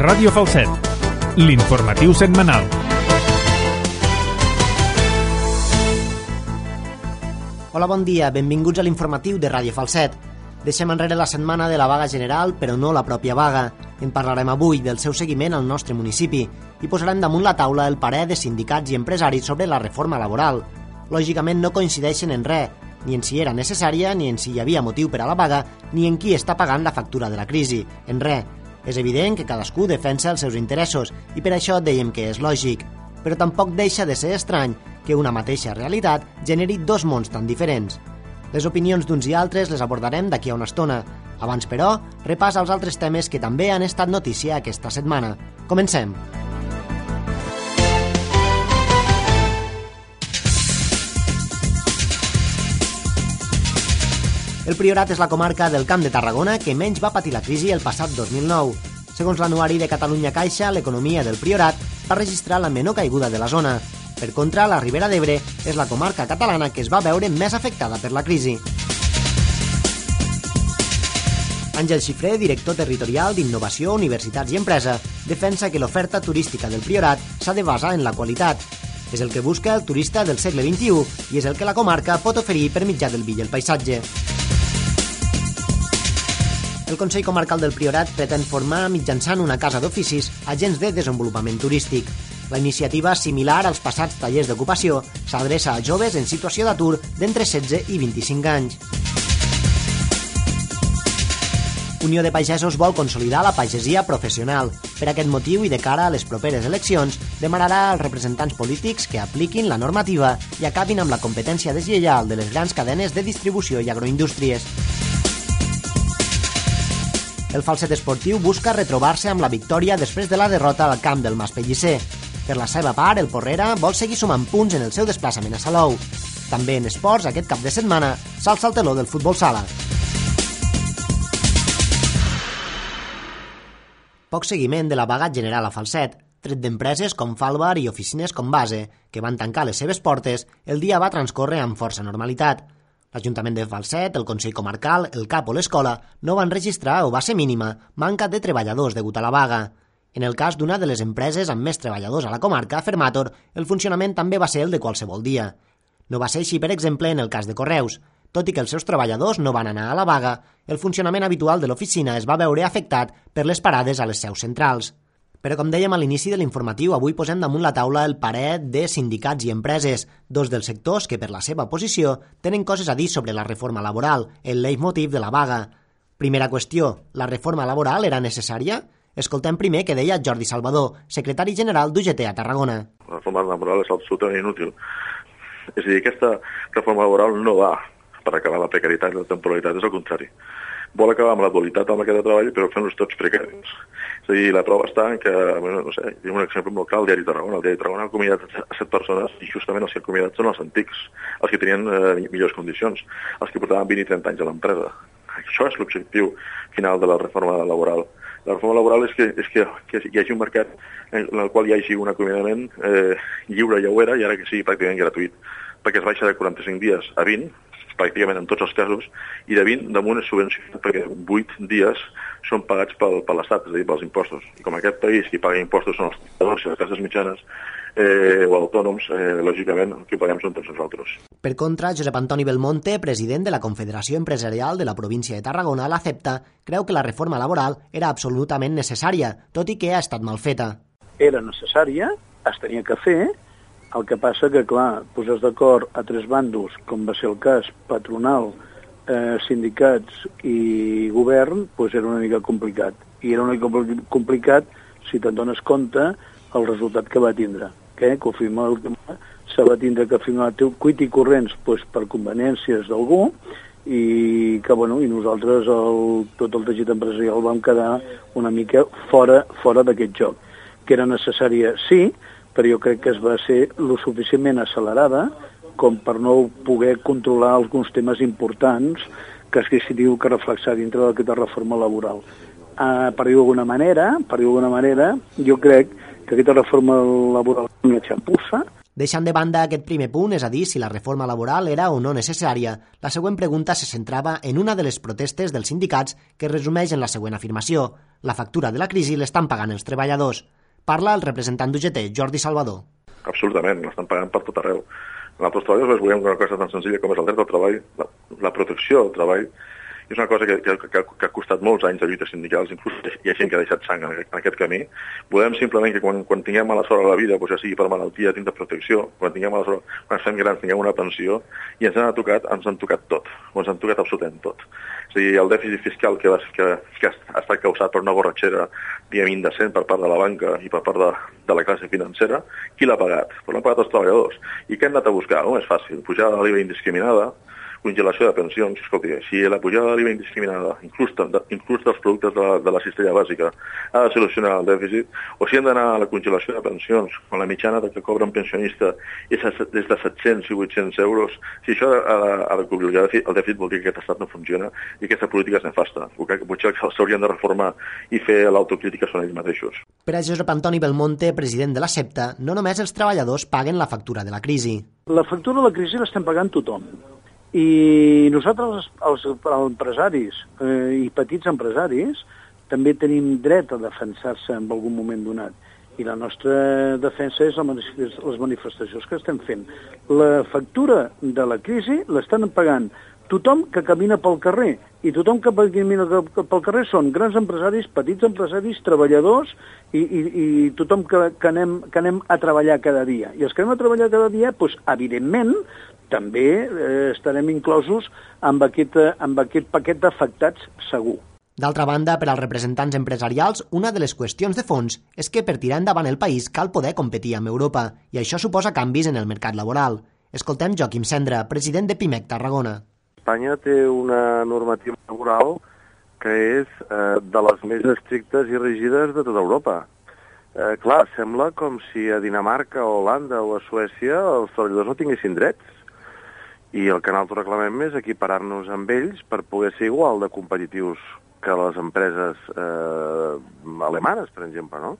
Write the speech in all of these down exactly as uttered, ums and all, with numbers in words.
Ràdio Falset, l'informatiu setmanal. Hola, bon dia, benvinguts a l'informatiu de Ràdio Falset. Deixem enrere la setmana de la vaga general, però no la pròpia vaga. En parlarem avui del seu seguiment al nostre municipi i posarem damunt la taula el parer de sindicats i empresaris sobre la reforma laboral. Lògicament no coincideixen en res, ni en si era necessària, ni en si hi havia motiu per a la vaga, ni en qui està pagant la factura de la crisi, en res. És evident que cadascú defensa els seus interessos i per això dèiem que és lògic. Però tampoc deixa de ser estrany que una mateixa realitat generi dos mons tan diferents. Les opinions d'uns i altres les abordarem d'aquí a una estona. Abans, però, repàs als altres temes que també han estat notícia aquesta setmana. Comencem. El Priorat és la comarca del Camp de Tarragona que menys va patir la crisi el passat dos mil nou. Segons l'anuari de Catalunya Caixa, l'economia del Priorat va registrar la menor caiguda de la zona. Per contra, la Ribera d'Ebre és la comarca catalana que es va veure més afectada per la crisi. Àngel Xifré, director territorial d'Innovació, Universitats i Empresa, defensa que l'oferta turística del Priorat s'ha de basar en la qualitat. És el que busca el turista del segle vint-i-u i és el que la comarca pot oferir per mitjà del vi i el paisatge. El Consell Comarcal del Priorat pretén formar mitjançant una casa d'oficis agents de desenvolupament turístic. La iniciativa, similar als passats tallers d'ocupació, s'adreça a joves en situació d'atur d'entre setze i vint-i-cinc anys. Unió de Pagesos vol consolidar la pagesia professional. Per aquest motiu i de cara a les properes eleccions, demanarà als representants polítics que apliquin la normativa i acabin amb la competència deslleial de les grans cadenes de distribució i agroindústries. El Falset esportiu busca retrobar-se amb la victòria després de la derrota al camp del Mas Pellicer. Per la seva part, el Porrera vol seguir sumant punts en el seu desplaçament a Salou. També en esports, aquest cap de setmana, s'alça el teló del futbol sala. Poc seguiment de la vaga general a Falset. Tret d'empreses com Falbar i oficines com Base, que van tancar les seves portes, el dia va transcórrer amb força normalitat. L'Ajuntament de Falset, el Consell Comarcal, el C A P o l'Escola no van registrar, o va ser mínima, manca de treballadors degut a la vaga. En el cas d'una de les empreses amb més treballadors a la comarca, Fermator, el funcionament també va ser el de qualsevol dia. No va ser així, per exemple, en el cas de Correus. Tot i que els seus treballadors no van anar a la vaga, el funcionament habitual de l'oficina es va veure afectat per les parades a les seus centrals. Però com dèiem a l'inici de l'informatiu, avui posem damunt la taula el parer de sindicats i empreses, dos dels sectors que per la seva posició tenen coses a dir sobre la reforma laboral, el leitmotiv de la vaga. Primera qüestió, la reforma laboral era necessària? Escoltem primer què deia Jordi Salvador, secretari general d'U G T a Tarragona. La reforma laboral és absolutament inútil. És a dir, aquesta reforma laboral no va per acabar la precarietat i la temporalitat, és el contrari. Vol acabar amb la dualitat del mercat de treball, però fent-los tots precaris. És a dir, la prova està en que, bueno, no sé, hi ha un exemple molt clar, el Diari de Tarragona. El Diari de Tarragona ha acomiadat a set persones i justament els que ha acomiadat són els antics, els que tenien eh, millors condicions, els que portaven vint i trenta anys a l'empresa. Això és l'objectiu final de la reforma laboral. La reforma laboral és que, és que, que hi hagi un mercat en el qual hi hagi un acomiadament eh, lliure, ja ho era, i ara que sigui pràcticament gratuït, perquè es baixa de quaranta-cinc dies a vint, pràcticament en tots els casos, i de vint damunt és subvencionat perquè vuit dies són pagats pel, per l'Estat, és a dir, pels impostos. I com aquest país qui paga impostos són els treballadors i les classes mitjanes eh, o autònoms, eh, lògicament el que paguem són tots nosaltres. Per contra, Josep Antoni Belmonte, president de la Confederació Empresarial de la província de Tarragona, l'Acepta, creu que la reforma laboral era absolutament necessària, tot i que ha estat mal feta. Era necessària, es tenia que fer. El que passa que, clar, posar d'acord a tres bàndols, com va ser el cas patronal, eh, sindicats i govern, doncs era una mica complicat. I era una mica complicat si te'n dones compte el resultat que va tindre. Que, que firma l'última, se va tindre que firmar cuit i corrents doncs, per conveniències d'algú i que, bueno, i nosaltres, el, tot el teixit empresarial, vam quedar una mica fora, fora d'aquest joc. Que era necessària, sí, però jo crec que es va ser lo suficientment accelerada com per no poder controlar alguns temes importants que es que diu que reflexar dintre d'aquesta reforma laboral. Uh, per dir d'alguna manera, per dir d'alguna manera, jo crec que aquesta reforma laboral és una xapussa. Deixant de banda aquest primer punt, és a dir, si la reforma laboral era o no necessària, la següent pregunta se centrava en una de les protestes dels sindicats que resumeix en la següent afirmació. La factura de la crisi l'estan pagant els treballadors. Parla el representant d'U G T, Jordi Salvador. Absolutament, l'estan pagant per tot arreu. Nosaltres treballadors volem una cosa tan senzilla com és el dret al treball, la, la protecció del treball. És una cosa que, que, que, que ha costat molts anys de lluites sindicals, inclús hi ha gent que ha deixat sang en aquest, en aquest camí. Volem simplement que quan, quan tinguem mala sort a la vida, doncs ja sigui per malaltia, tindre protecció, quan tinguem mala sort, quan estem grans, tinguem una pensió, i ens han tocat, ens han tocat tot, o ens han tocat absolutament tot. És a dir, el dèficit fiscal que, va, que, que ha estat causat per una borratxera, diguem, indecent per part de la banca i per part de, de la classe financera, qui l'ha pagat? Pues l'han pagat els treballadors. I què hem anat a buscar? No és fàcil, pujar de l'I V A indiscriminada, congelació de pensions. Escolti, si la pujada de l'I V A indiscriminada, inclús, de, inclús dels productes de la, de la cistella bàsica, ha de solucionar el dèficit, o si hem d'anar a la congelació de pensions, quan la mitjana que cobra un pensionista és des de set-cents i vuit-cents euros, si això ha de, ha de cobrir el dèficit, el dèficit vol dir que aquest estat no funciona i aquesta política és nefasta. Potser s'haurien de reformar i fer l'autocrítica són ells mateixos. Per a Josep Antoni Belmonte, president de la SEPTA, no només els treballadors paguen la factura de la crisi. La factura de la crisi l'estem pagant tothom. I nosaltres, els, els empresaris eh, i petits empresaris, també tenim dret a defensar-se en algun moment donat. I la nostra defensa és les manifestacions que estem fent. La factura de la crisi l'estan pagant tothom que camina pel carrer. I tothom que camina pel carrer són grans empresaris, petits empresaris, treballadors i, i, i tothom que, que, anem, que anem a treballar cada dia. I els que anem a treballar cada dia, doncs, evidentment, també eh, estarem inclosos amb aquest, amb aquest paquet d'afectats segur. D'altra banda, per als representants empresarials, una de les qüestions de fons és que per tirar endavant el país cal poder competir amb Europa, i això suposa canvis en el mercat laboral. Escoltem Joaquim Cendra, president de Pimec Tarragona. Espanya té una normativa laboral que és eh, de les més estrictes i rígides de tota Europa. Eh, clar, sembla com si a Dinamarca, o Holanda o a Suècia els treballadors no tinguessin drets. I el que nosaltres reclamem és equiparar-nos amb ells per poder ser igual de competitius que les empreses eh, alemanes, per exemple, no?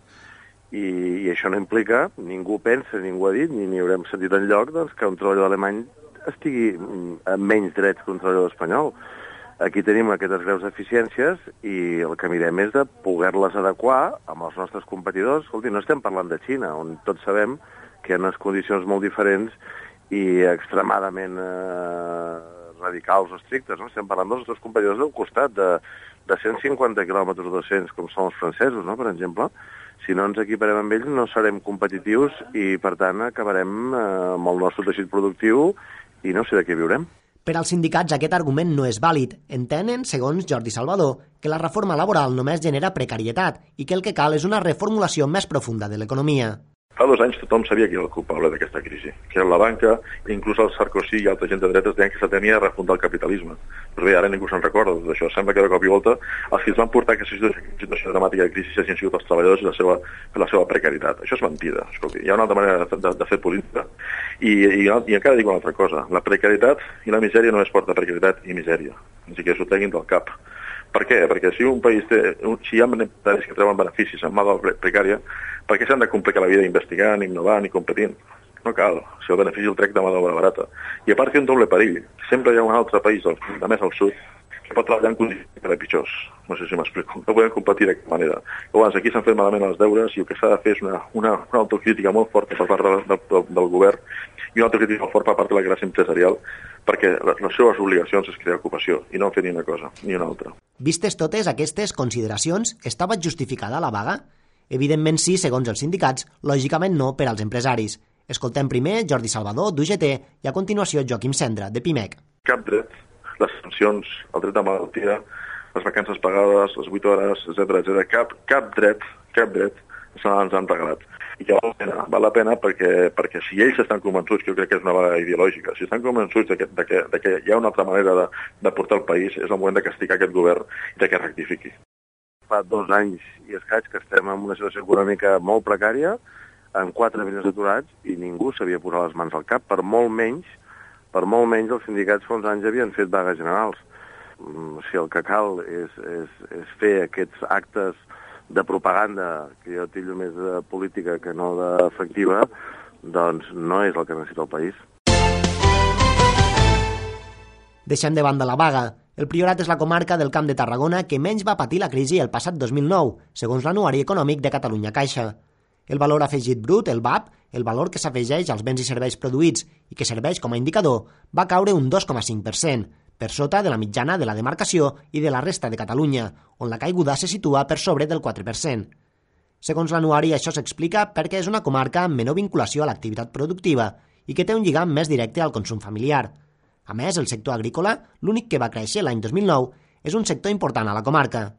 I, I això no implica, ningú pensa, ningú ha dit, ni n'hi haurem sentit enlloc, doncs, que un treballador alemany estigui amb menys drets que un treballador espanyol. Aquí tenim aquestes greus deficiències i el que mirem és de poder-les adequar amb els nostres competidors. Escolti, no estem parlant de Xina, on tots sabem que hi ha unes condicions molt diferents i extremadament eh, radicals o estrictes, no? Estem parlant dels nostres competidors del costat, de, de cent cinquanta quilòmetres o dos-cents, com són els francesos, no? Per exemple. Si no ens equiparem amb ells no serem competitius i, per tant, acabarem eh, amb el nostre teixit productiu i no sé de què viurem. Per als sindicats aquest argument no és vàlid. Entenen, segons Jordi Salvador, que la reforma laboral només genera precarietat i que el que cal és una reformulació més profunda de l'economia. Fa dos anys tothom sabia qui era el culpable d'aquesta crisi, que era la banca, i inclús el Sarkozy i altra gent de dretes deien que se tenia de refundar el capitalisme. Però bé, ara ningú se'n recorda d'això. Sembla que de cop i volta els que es van portar a aquesta situació dramàtica de crisi hagin sigut els treballadors i la seva, la seva precarietat. Això és mentida. Escolti, hi ha una altra manera de, de, de fer política. I, i, i encara dic una altra cosa. La precarietat i la misèria no es porta precarietat i misèria. Així que s'ho treguin del cap. Per què? Perquè si un país té, si hi ha empresaris que treuen beneficis en mà de la precària, per què s'han de complicar la vida investigant, innovant i competint? No cal, si el benefici el trec de mà d'obra barata. I a part té un doble perill. Sempre hi ha un altre país, de més al sud, que pot treballar en condicions encara pitjors. No sé si m'explico. No podem competir d'aquesta manera. Llavors, aquí s'han fet malament els deures i el que s'ha de fer és una, una, una autocrítica molt forta per part del, del, del govern i una autocrítica molt forta per part de la classe empresarial, perquè les seves obligacions és crear ocupació i no fer ni una cosa ni una altra. Vistes totes aquestes consideracions, estava justificada la vaga? Evidentment sí, segons els sindicats, lògicament no per als empresaris. Escoltem primer Jordi Salvador, d'U G T, i a continuació Joaquim Cendra, de Pimec. Cap dret, les sancions, el dret de malaltia, les vacances pagades, les vuit hores, etcètera, etcètera, cap, cap dret, cap dret, ens han regalat. I que val la pena, val la pena perquè, perquè si ells estan convençuts, que jo crec que és una vaga ideològica, si estan convençuts de que, de que, de que hi ha una altra manera de, de portar el país, és el moment de castigar aquest govern i de que rectifiqui. Fa dos anys i escaig que estem en una situació econòmica molt precària, amb quatre milions d'aturats, i ningú s'havia posat les mans al cap, per molt menys, per molt menys els sindicats fa uns anys havien fet vagues generals. Si el que cal és, és, és fer aquests actes de propaganda, que jo tillo més de política que no d'efectiva, doncs no és el que necessita el país. Deixant de banda la vaga, el Priorat és la comarca del Camp de Tarragona que menys va patir la crisi el passat dos mil nou, segons l'Anuari Econòmic de Catalunya Caixa. El valor afegit brut, el V A P, el valor que s'afegeix als béns i serveis produïts i que serveix com a indicador, va caure un dos coma cinc per cent, per sota de la mitjana de la demarcació i de la resta de Catalunya, on la caiguda se situa per sobre del quatre per cent. Segons l'Anuari, això s'explica perquè és una comarca amb menor vinculació a l'activitat productiva i que té un lligam més directe al consum familiar. A més, el sector agrícola, l'únic que va créixer l'any dos mil nou, és un sector important a la comarca.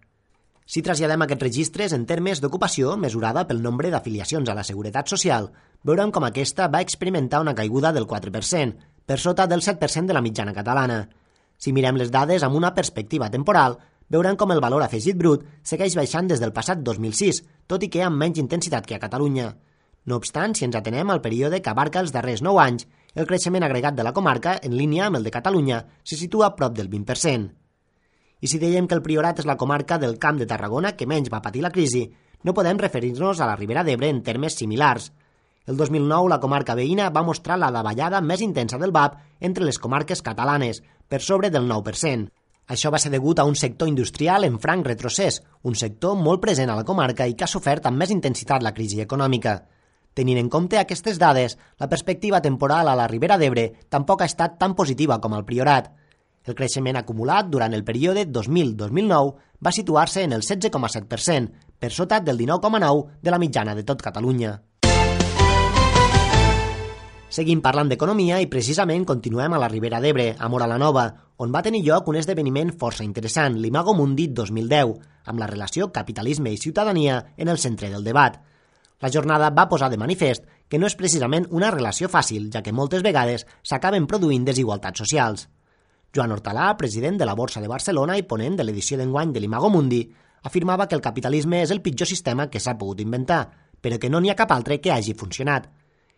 Si traslladem aquests registres en termes d'ocupació, mesurada pel nombre d'afiliacions a la Seguretat Social, veurem com aquesta va experimentar una caiguda del quatre per cent, per sota del set per cent de la mitjana catalana. Si mirem les dades amb una perspectiva temporal, veurem com el valor afegit brut segueix baixant des del passat dos mil sis, tot i que amb menys intensitat que a Catalunya. No obstant, si ens atenem al període que abarca els darrers nou anys, el creixement agregat de la comarca, en línia amb el de Catalunya, se situa a prop del vint per cent. I si dèiem que el Priorat és la comarca del Camp de Tarragona que menys va patir la crisi, no podem referir-nos a la Ribera d'Ebre en termes similars. El dos mil nou, la comarca veïna va mostrar la davallada més intensa del V A P entre les comarques catalanes, per sobre del nou per cent. Això va ser degut a un sector industrial en franc retrocés, un sector molt present a la comarca i que ha sofert amb més intensitat la crisi econòmica. Tenint en compte aquestes dades, la perspectiva temporal a la Ribera d'Ebre tampoc ha estat tan positiva com al Priorat. El creixement acumulat durant el període dos mil a dos mil nou va situar-se en el setze coma set per cent, per sota del dinou coma nou per cent de la mitjana de tot Catalunya. Seguim parlant d'economia i precisament continuem a la Ribera d'Ebre, a Móra la Nova, on va tenir lloc un esdeveniment força interessant, l'Imago Mundi dos mil deu, amb la relació capitalisme i ciutadania en el centre del debat. La jornada va posar de manifest que no és precisament una relació fàcil, ja que moltes vegades s'acaben produint desigualtats socials. Joan Hortalà, president de la Borsa de Barcelona i ponent de l'edició d'enguany de l'Imago Mundi, afirmava que el capitalisme és el pitjor sistema que s'ha pogut inventar, però que no n'hi ha cap altre que hagi funcionat.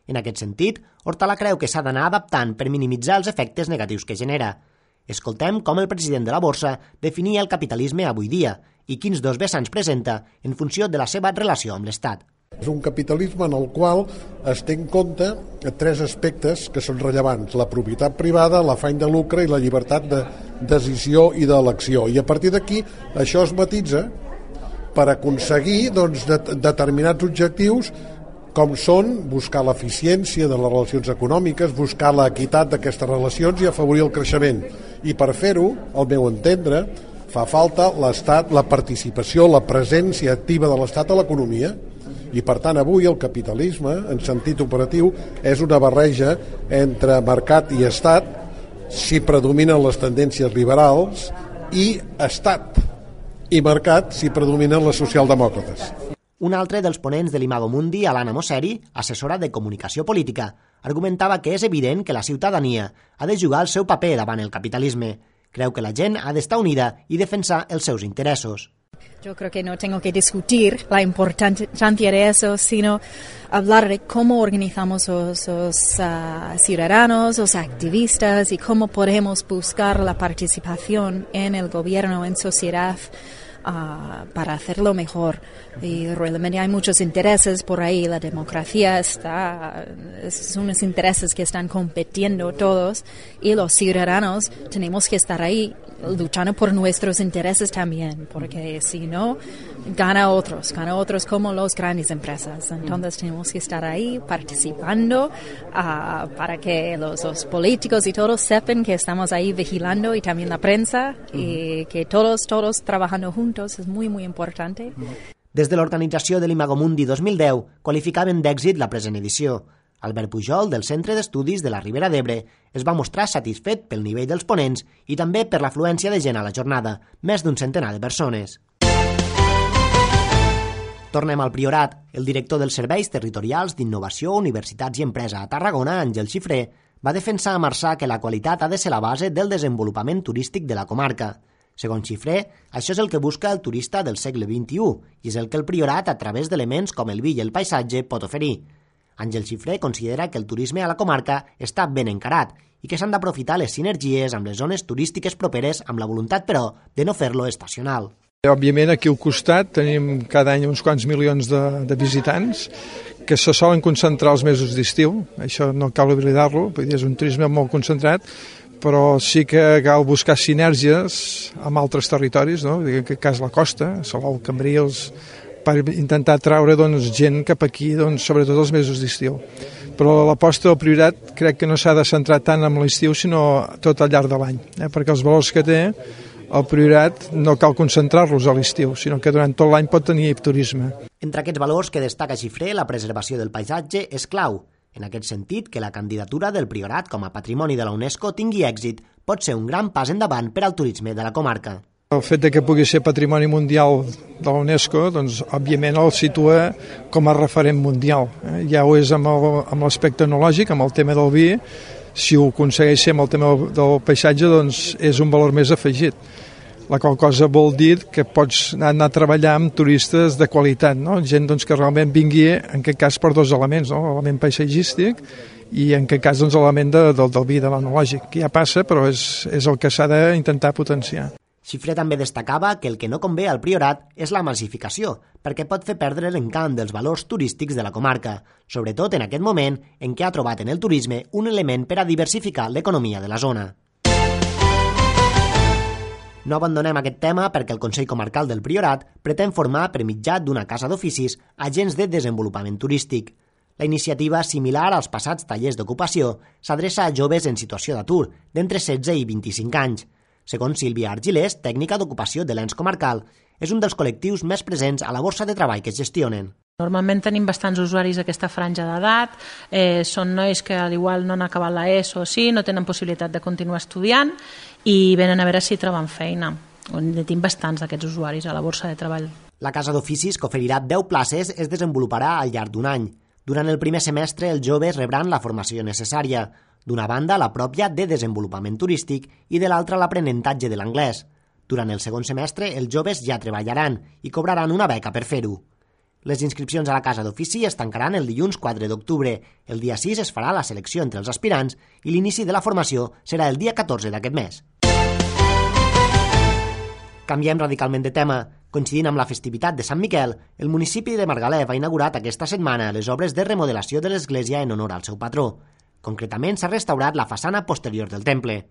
En aquest sentit, Hortalà creu que s'ha d'anar adaptant per minimitzar els efectes negatius que genera. Escoltem com el president de la Borsa definia el capitalisme avui dia i quins dos vessants presenta en funció de la seva relació amb l'Estat. És un capitalisme en el qual es té en compte tres aspectes que són rellevants: la propietat privada, l'afany de lucre i la llibertat de decisió i d'elecció. I a partir d'aquí això es matitza per aconseguir doncs, de, determinats objectius com són buscar l'eficiència de les relacions econòmiques, buscar l'equitat d'aquestes relacions i afavorir el creixement. I per fer-ho, al meu entendre, fa falta l'Estat, la participació, la presència activa de l'Estat a l'economia. I per tant avui el capitalisme en sentit operatiu és una barreja entre mercat i estat, si predominen les tendències liberals, i estat i mercat si predominen les socialdemòcrates. Un altre dels ponents de l'Imago Mundi, Alana Mosseri, assessora de comunicació política, argumentava que és evident que la ciutadania ha de jugar el seu paper davant el capitalisme. Creu que la gent ha d'estar unida i defensar els seus interessos. Yo creo que no tengo que discutir la importancia de eso, sino hablar de cómo organizamos los, los uh, ciudadanos, los activistas y cómo podemos buscar la participación en el gobierno, en sociedad, uh, para hacerlo mejor. Y realmente hay muchos intereses por ahí. La democracia está, son unos intereses que están compitiendo todos y los ciudadanos tenemos que estar ahí luchando por nuestros intereses también, porque si no, gana otros, gana otros como las grandes empresas. Entonces tenemos que estar ahí participando uh, para que los, los políticos y todos sepan que estamos ahí vigilando, y también la prensa, y que todos, todos trabajando juntos es muy, muy importante. Des de l'organització de l'Imago Mundi dos mil deu qualificaven d'èxit la present edició. Albert Pujol, del Centre d'Estudis de la Ribera d'Ebre, es va mostrar satisfet pel nivell dels ponents i també per l'afluència de gent a la jornada, més d'un centenar de persones. Tornem al Priorat. El director dels Serveis Territorials d'Innovació, Universitats i Empresa a Tarragona, Àngel Xifré, va defensar a Marçà que la qualitat ha de ser la base del desenvolupament turístic de la comarca. Segons Xifré, això és el que busca el turista del segle vint-i-u i és el que el Priorat, a través d'elements com el vi i el paisatge, pot oferir. Àngel Xifré considera que el turisme a la comarca està ben encarat i que s'han d'aprofitar les sinergies amb les zones turístiques properes amb la voluntat, però, de no fer-lo estacional. Òbviament, aquí al costat tenim cada any uns quants milions de, de visitants que se solen concentrar els mesos d'estiu. Això no cal oblidar-lo, perquè és un turisme molt concentrat, però sí que cal buscar sinergies amb altres territoris, no? En aquest cas la costa, Salou, Cambrils, per intentar traure doncs, gent cap aquí, doncs, sobretot els mesos d'estiu. Però l'aposta del Priorat crec que no s'ha de centrar tant en l'estiu, sinó tot al llarg de l'any, eh? Perquè els valors que té el Priorat no cal concentrar-los a l'estiu, sinó que durant tot l'any pot tenir turisme. Entre aquests valors que destaca Xifré, la preservació del paisatge és clau. En aquest sentit, que la candidatura del Priorat com a patrimoni de la UNESCO tingui èxit pot ser un gran pas endavant per al turisme de la comarca. El fet de que pugui ser patrimoni mundial de la UNESCO, doncs, òbviament el situa com a referent mundial. Eh? Ja ho és amb l'aspecte etnològic, amb el tema del vi. Si ho aconsegueix ser amb el tema del paisatge, doncs és un valor més afegit. La qual cosa vol dir que pots anar a treballar amb turistes de qualitat, no? Gent doncs, que realment vingui, en aquest cas, per dos elements, no? L'element paisatgístic i en aquest cas doncs, l'element de, del, del vi, de l'etnològic, que ja passa, però és, és el que s'ha d'intentar potenciar. Xifré també destacava que el que no convé al Priorat és la massificació, perquè pot fer perdre l'encant dels valors turístics de la comarca, sobretot en aquest moment en què ha trobat en el turisme un element per a diversificar l'economia de la zona. No abandonem aquest tema perquè el Consell Comarcal del Priorat pretén formar per mitjà d'una casa d'oficis agents de desenvolupament turístic. La iniciativa, similar als passats tallers d'ocupació, s'adreça a joves en situació d'atur, d'entre setze i vint-i-cinc anys. Segons Sílvia Argilés, tècnica d'ocupació de l'ens comarcal, és un dels col·lectius més presents a la borsa de treball que es gestionen. Normalment tenim bastants usuaris d'aquesta franja d'edat, eh, són nois que al igual no han acabat la ESO o sí, no tenen possibilitat de continuar estudiant i venen a veure si troben feina. En tenim bastants d'aquests usuaris a la borsa de treball. La casa d'oficis, que oferirà deu places, es desenvoluparà al llarg d'un any. Durant el primer semestre, els joves rebran la formació necessària. D'una banda, la pròpia de desenvolupament turístic i de l'altra l'aprenentatge de l'anglès. Durant el segon semestre, els joves ja treballaran i cobraran una beca per fer-ho. Les inscripcions a la casa d'ofici es tancaran el dilluns quatre d'octubre. El dia sis es farà la selecció entre els aspirants i l'inici de la formació serà el dia catorze d'aquest mes. Canviem radicalment de tema. Coincidint amb la festivitat de Sant Miquel, el municipi de Margalef ha inaugurat aquesta setmana les obres de remodelació de l'església en honor al seu patró. Concretament, s'ha restaurat la façana posterior del temple.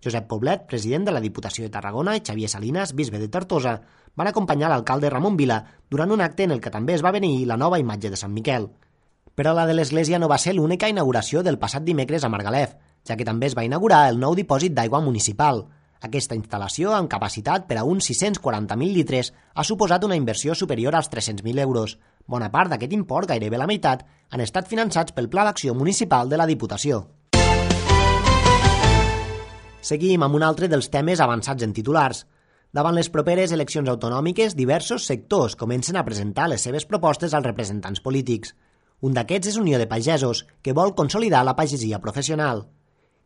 Josep Poblet, president de la Diputació de Tarragona, i Xavier Salinas, bisbe de Tortosa, van acompanyar l'alcalde Ramon Vila durant un acte en el que també es va beneir la nova imatge de Sant Miquel. Però la de l'església no va ser l'única inauguració del passat dimecres a Margalef, ja que també es va inaugurar el nou dipòsit d'aigua municipal. Aquesta instal·lació, amb capacitat per a uns sis-cents quaranta mil litres, ha suposat una inversió superior als tres-cents mil euros. Bona part d'aquest import, gairebé la meitat, han estat finançats pel Pla d'Acció Municipal de la Diputació. Seguim amb un altre dels temes avançats en titulars. Davant les properes eleccions autonòmiques, diversos sectors comencen a presentar les seves propostes als representants polítics. Un d'aquests és Unió de Pagesos, que vol consolidar la pagesia professional.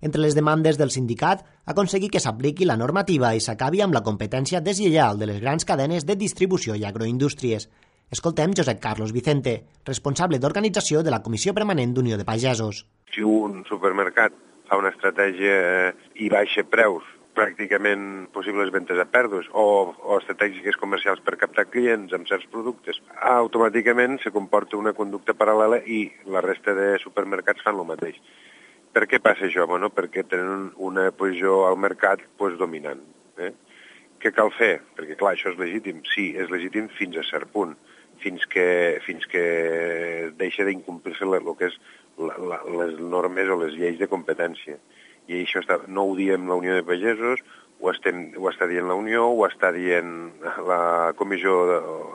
Entre les demandes del sindicat, aconseguir que s'apliqui la normativa i s'acabi amb la competència deslleial de les grans cadenes de distribució i agroindústries. Escoltem Josep Carlos Vicente, responsable d'organització de la Comissió Permanent d'Unió de Pagesos. Si un supermercat fa una estratègia i baixa preus, pràcticament possibles ventes a pèrdues o, o estratègiques comercials per captar clients amb certs productes, automàticament se comporta una conducta paral·lela i la resta de supermercats fan el mateix. Per què passa això? Bueno, perquè tenen una posició al mercat pues, dominant. Eh? Què cal fer? Perquè, clar, això és legítim. Sí, és legítim fins a cert punt, fins que, fins que deixa d'incomplir-se el que és la, la, les normes o les lleis de competència. I això està, no ho diem la Unió de Pagesos, ho, estem, ho està dient la Unió, ho està dient la Comissió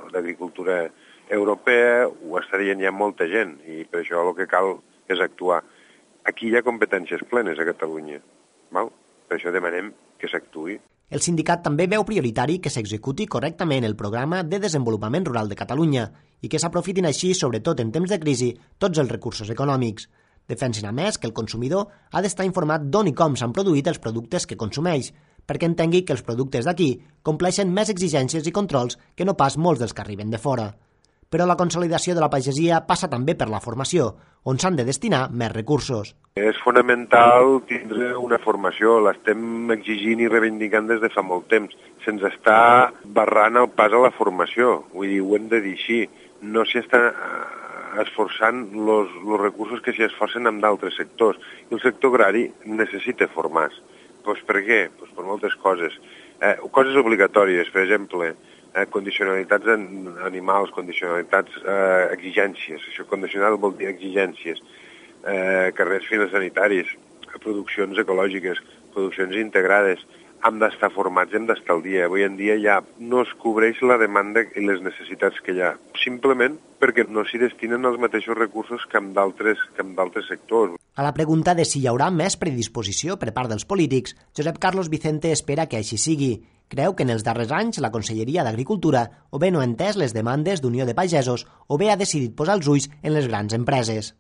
d'Agricultura Europea, ho està dient ja molta gent, i per això el que cal és actuar. Aquí hi ha competències plenes a Catalunya, val? Per això demanem que s'actuï. El sindicat també veu prioritari que s'executi correctament el Programa de Desenvolupament Rural de Catalunya i que s'aprofitin així, sobretot en temps de crisi, tots els recursos econòmics. Defensen a més que el consumidor ha d'estar informat d'on i com s'han produït els productes que consumeix, perquè entengui que els productes d'aquí compleixen més exigències i controls que no pas molts dels que arriben de fora. però la consolidació de la pagesia passa també per la formació, on s'han de destinar més recursos. És fonamental tindre una formació, l'estem exigint i reivindicant des de fa molt temps. Se'ns està barrant el pas a la formació, vull dir, ho hem de dir així. No s'hi està esforçant els recursos que s'hi esforcen en d'altres sectors. I el sector agrari necessita formar-se. Pues per què? Pues per moltes coses. Eh, coses obligatòries, per exemple, eh, condicionalitats en animals, condicionalitats, eh, exigències. Això condicional vol dir exigències. Eh, carrers fitosanitaris, produccions ecològiques, produccions integrades. Hem d'estar formats, hem d'estar al dia. Avui en dia ja no es cobreix la demanda i les necessitats que hi ha, simplement perquè no s'hi destinen els mateixos recursos que en d'altres que en d'altres sectors. A la pregunta de si hi haurà més predisposició per part dels polítics, Josep Carlos Vicente espera que així sigui. Creu que en els darrers anys la Conselleria d'Agricultura o bé no ha entès les demandes d'Unió de Pagesos o bé ha decidit posar els ulls en les grans empreses.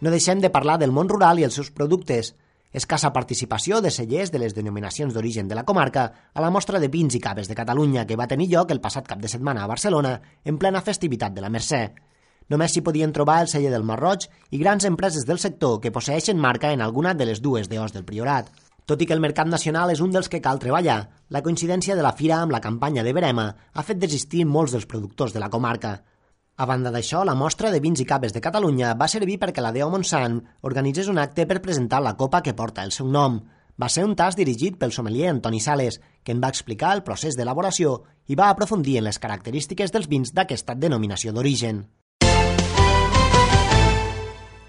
No deixem de parlar del món rural i els seus productes. Escassa participació de cellers de les denominacions d'origen de la comarca a la mostra de vins i caves de Catalunya que va tenir lloc el passat cap de setmana a Barcelona en plena festivitat de la Mercè. Només s'hi podien trobar el celler del Marroig i grans empreses del sector que posseeixen marca en alguna de les dues D Os del Priorat. Tot i que el mercat nacional és un dels que cal treballar, la coincidència de la fira amb la campanya de Verema ha fet desistir molts dels productors de la comarca. A banda d'això, la mostra de vins i caves de Catalunya va servir perquè la D O Montsant organitzés un acte per presentar la copa que porta el seu nom. Va ser un tast dirigit pel sommelier Antoni Sales, que en va explicar el procés d'elaboració i va aprofundir en les característiques dels vins d'aquesta denominació d'origen.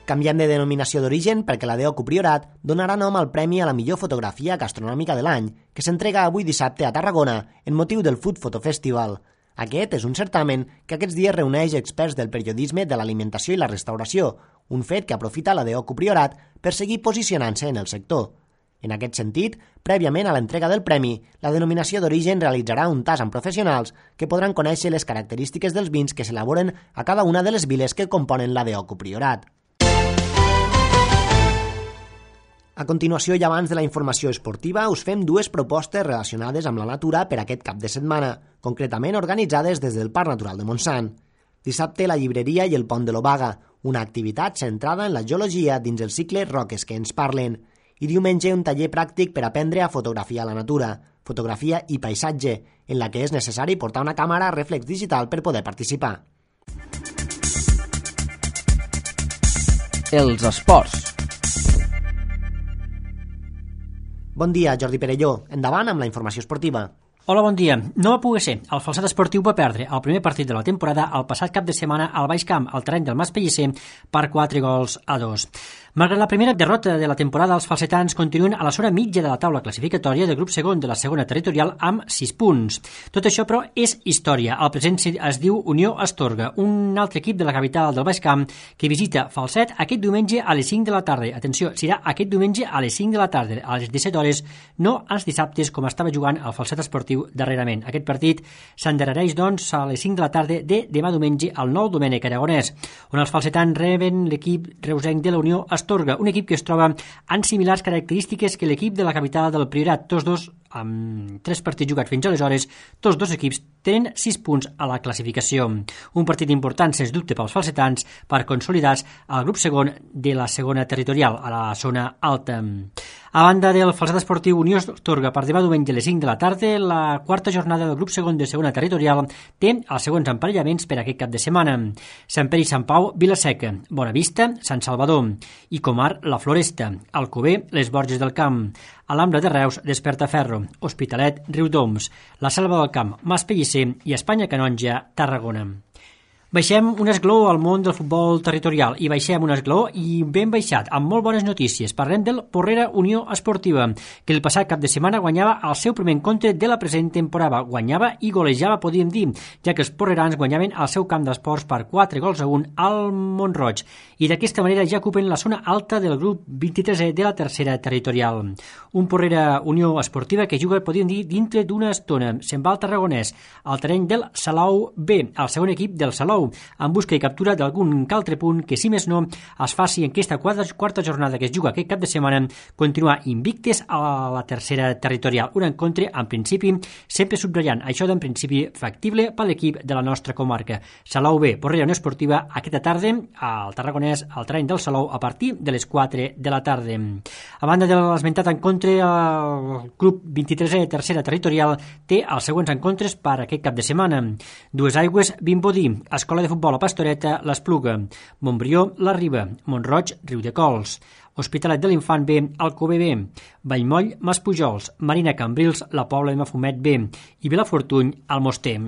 Canviant de denominació d'origen perquè la D O Priorat donarà nom al Premi a la millor fotografia gastronòmica de l'any, que s'entrega avui dissabte a Tarragona en motiu del Food Photo Festival. Aquest és un certamen que aquests dies reuneix experts del periodisme de l'alimentació i la restauració, un fet que aprofita la D O Priorat per seguir posicionant-se en el sector. En aquest sentit, prèviament a l'entrega del premi, la denominació d'origen realitzarà un tast amb professionals que podran conèixer les característiques dels vins que s'elaboren a cada una de les viles que componen la D O Priorat. A continuació i abans de la informació esportiva us fem dues propostes relacionades amb la natura per aquest cap de setmana, concretament organitzades des del Parc Natural de Montsant. Dissabte la llibreria i el Pont de l'Obaga, una activitat centrada en la geologia dins el cicle Roques que ens parlen. I diumenge un taller pràctic per aprendre a fotografiar la natura, fotografia i paisatge, en la que és necessari portar una càmera reflex digital per poder participar. Els esports. Bon dia, Jordi Perelló. Endavant amb la informació esportiva. Hola, bon dia. No va poder ser. El Falset Esportiu va perdre el primer partit de la temporada el passat cap de setmana al Baix Camp, al terreny del Mas Pellicer, per quatre gols a dos. Malgrat la primera derrota de la temporada, els falsetans continuen a la zona mitja de la taula classificatòria del grup segon de la segona territorial amb sis punts. Tot això, però, és història. El present es diu Unió Astorga, un altre equip de la capital del Baix Camp que visita Falset aquest diumenge a les cinc de la tarda. Atenció, serà aquest diumenge a les cinc de la tarda, a les disset hores, no als dissabtes com estava jugant el Falset Esportiu darrerament. Aquest partit s'endarrereix, doncs, a les cinc de la tarda de demà diumenge al Nou Domènec Aragonès, on els falsetans reben l'equip reusenc de la Unió Astorga, un equip que es troba en similars característiques que l'equip de la capital del Priorat. Tots dos, amb tres partits jugats fins aleshores, tots dos equips tenen sis punts a la classificació. Un partit important, sens dubte, pels falsetans per consolidar-se al grup segon de la segona territorial, a la zona alta. A banda del Falset Esportiu Unió Astorga, per demà diumenge a les cinc de la tarda, la quarta jornada del grup segon de segona territorial té els següents emparellaments per aquest cap de setmana. Sant Pere i Sant Pau, Vilaseca, Bonavista, Sant Salvador, i Comar, la Floresta, Alcover, les Borges del Camp, Alhambra de Reus, Despertaferro, Hospitalet, Riudoms, la Selva del Camp, Mas Pellicer i Espanya Canonja, Tarragona. Baixem un esgló al món del futbol territorial i baixem un esgló i ben baixat, amb molt bones notícies. Parlem del Porrera Unió Esportiva, que el passat cap de setmana guanyava el seu primer encontre de la present temporada. Guanyava i golejava, podíem dir, ja que els porrerans guanyaven al seu camp d'esports per quatre gols a un al Montroig i d'aquesta manera ja ocupen la zona alta del grup vint-i-tresè de la tercera territorial. Un Porrera Unió Esportiva que juga, podíem dir, dintre d'una estona. Se'n va al Tarragonès, al terreny del Salou B, el segon equip del Salou, Salou, en busca i captura d'algun altre punt que, si més no, es faci en aquesta quarta, quarta jornada que es juga aquest cap de setmana, continuar invictes a la tercera territorial. Un encontre, en principi, sempre subratllant això d'en principi factible per l'equip de la nostra comarca. Salou B, Porrera Unió Esportiva, aquesta tarda al Tarragonès, al terreny del Salou, a partir de les quatre de la tarda. A banda de l'esmentat encontre, el club vint-i-tresè tercera territorial té els següents encontres per aquest cap de setmana. Dues Aigües, Vimbodí, Escola de Futbol a Pastoreta, l'Espluga, Montbrió, la Riba, Montroig, Riudecols, Hospitalet de l'Infant B, Alcover B, Vallmoll, Maspujols, Marina Cambrils, la Pobla de Mafumet B i Vilafortuny, Almoster.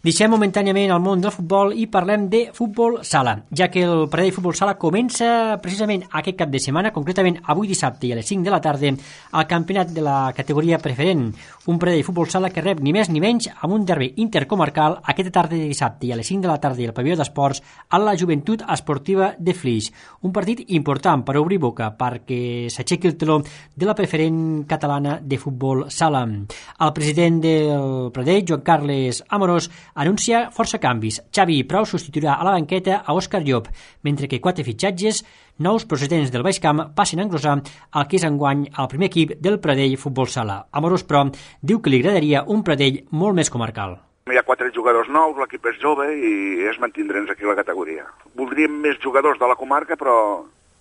Deixem momentàniament el món del futbol i parlem de futbol sala, ja que el Pradell Futbol Sala comença precisament aquest cap de setmana, concretament avui dissabte i a les cinc de la tarda, el campionat de la categoria preferent. Un Pradell Futbol Sala que rep ni més ni menys amb un derbi intercomarcal aquesta tarda de dissabte i a les cinc de la tarda al pavelló d'esports a la Joventut Esportiva de Flix. Un partit important per obrir boca perquè s'aixequi el teló de la preferent catalana de futbol sala. El president del Pradell, Joan Carles Amorós, anuncia força canvis. Xavi Prou substituirà a la banqueta a Òscar Llop, mentre que quatre fitxatges nous procedents del Baix Camp passen a engrosar el que és enguany el primer equip del Pradell Futbol Sala. Amorós, però, diu que li agradaria un Pradell molt més comarcal. Hi ha quatre jugadors nous, l'equip és jove i es mantindrem aquí a la categoria. Voldríem més jugadors de la comarca, però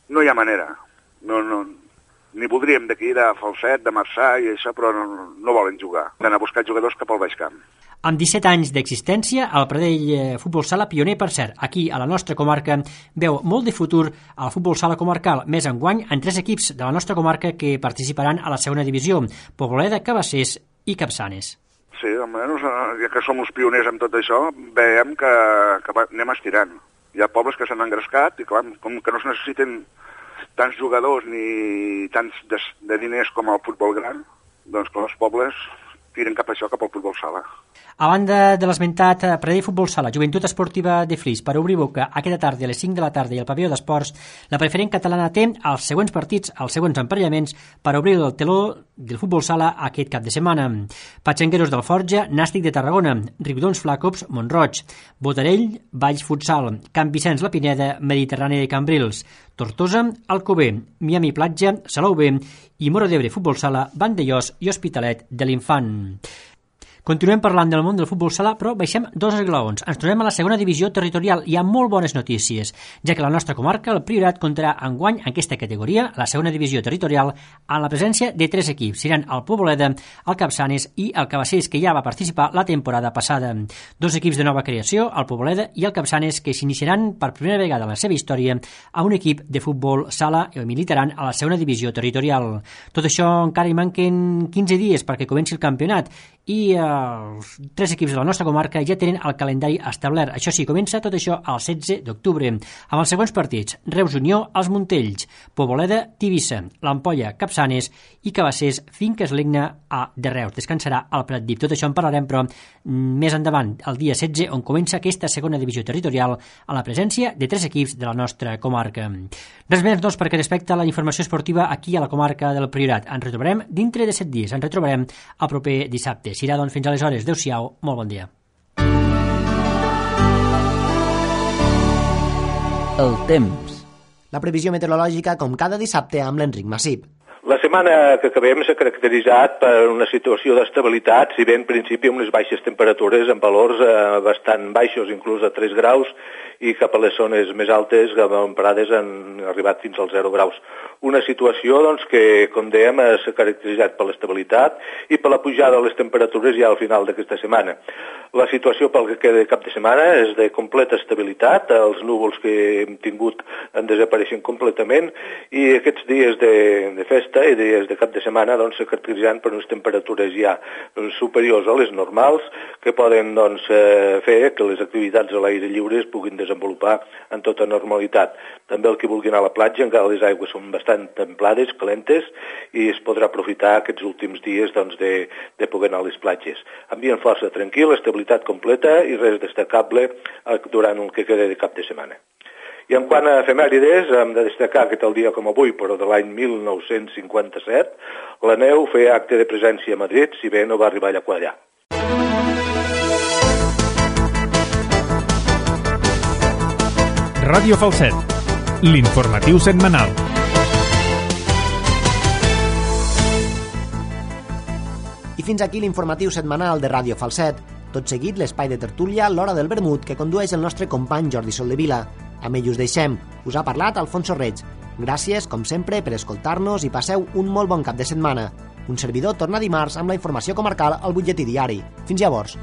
no hi ha manera. No, no, ni voldríem d'aquí, de Falset, de Marçà i això, però no, no volen jugar. Han d'anar a buscar jugadors cap al Baix Camp. Amb disset anys d'existència, el Pradell Futbol Sala, pioner per cert, aquí a la nostra comarca, veu molt de futur al futbol sala comarcal, més enguany en tres equips de la nostra comarca que participaran a la segona divisió, Poboleda, Cabassers i Capçanes. Sí, almenys, ja que som els pioners amb tot això, veiem que, que anem estirant. Hi ha pobles que s'han engrescat i, clar, com que no es necessiten tants jugadors ni tants de, de diners com el futbol gran, doncs que els pobles tiren cap a això, cap al futbol sala. A banda de l'esmentat Pradell Futbol Sala, Joventut Esportiva de Flix, per obrir boca aquesta tarda a les cinc de la tarda i al pavelló d'esports, la preferent catalana té els següents partits, els següents emparellaments per obrir el teló del futbol sala aquest cap de setmana. Patxangueros d'Alforja, Nàstic de Tarragona, Riudons Flacops, Montroig, Botarell, Valls Futsal, Camp Vicenç La Pineda, Mediterrani de Cambrils, Tortosa, Alcover, Miami Platja, Salou B i Moro d'Ebre Futbol Sala, Vandellós i Hospitalet de l'Infant. Continuem parlant del món del futbol sala, però baixem dos esglaons. Ens tornem a la segona divisió territorial. Hi ha molt bones notícies, ja que la nostra comarca, el Priorat, comptarà enguany en aquesta categoria, la segona divisió territorial, amb la presència de tres equips. Seran el Poboleda, el Capçanes i el Cabassers, que ja va participar la temporada passada. Dos equips de nova creació, el Poboleda i el Capçanes, que s'iniciaran per primera vegada en la seva història a un equip de futbol sala i militaran a la segona divisió territorial. Tot això encara hi manquen quinze dies perquè comenci el campionat i eh, els tres equips de la nostra comarca ja tenen el calendari establert. Això sí, comença tot això el setze d'octubre, amb els següents partits: Reus Unió, els Montells, Poboleda, Tivissa, l'Ampolla, Capçanes i Cabassers, Finques Legna a de Reus. Descansarà al Pratdip. Tot això en parlarem, però més endavant, el dia setze, on comença aquesta segona divisió territorial a la presència de tres equips de la nostra comarca. Res més, doncs, perquè respecte a la informació esportiva aquí a la comarca del Priorat. Ens retrobarem dintre de set dies. Ens retrobarem el proper dissabte. Serà, doncs, fins aleshores. Adéu-siau, molt bon dia. El temps. La previsió meteorològica com cada dissabte amb l'Enric Massip. La setmana que acabem s'ha caracteritzat per una situació d'estabilitat, si bé en principi amb les baixes temperatures en valors eh, bastant baixos, inclús a tres graus, i cap a les zones més altes, emparades, han arribat fins als zero graus. Una situació doncs, que, com dèiem, s'ha caracteritzat per l'estabilitat i per la pujada de les temperatures ja al final d'aquesta setmana. La situació pel que queda de cap de setmana és de completa estabilitat, els núvols que hem tingut han desapareixen completament i aquests dies de, de festa i dies de cap de setmana doncs, se caracteritzen per unes temperatures ja superiors a les normals que poden doncs, fer que les activitats a l'aire lliure es puguin desenvolupar en tota normalitat. També el que vulgui anar a la platja, encara les aigües són bastant templades, calentes, i es podrà aprofitar aquests últims dies doncs, de, de poder anar a les platges. Ambient força tranquil, estabilitat completa i res destacable durant el que queda de cap de setmana. I en quant a efemèrides, hem de destacar que tal dia com avui, però de l'any mil nou-cents cinquanta-set, la neu feia acte de presència a Madrid, si bé no va arribar allà quadrar. Ràdio Falset, l'informatiu setmanal. I fins aquí l'informatiu setmanal de Ràdio Falset. Tot seguit, l'espai de tertúlia L'Hora del Vermut, que condueix el nostre company Jordi Soldevila. Amb ell us deixem. Us ha parlat Alfonso Reig. Gràcies, com sempre, per escoltar-nos i passeu un molt bon cap de setmana. Un servidor torna dimarts amb la informació comarcal al butlletí diari. Fins llavors.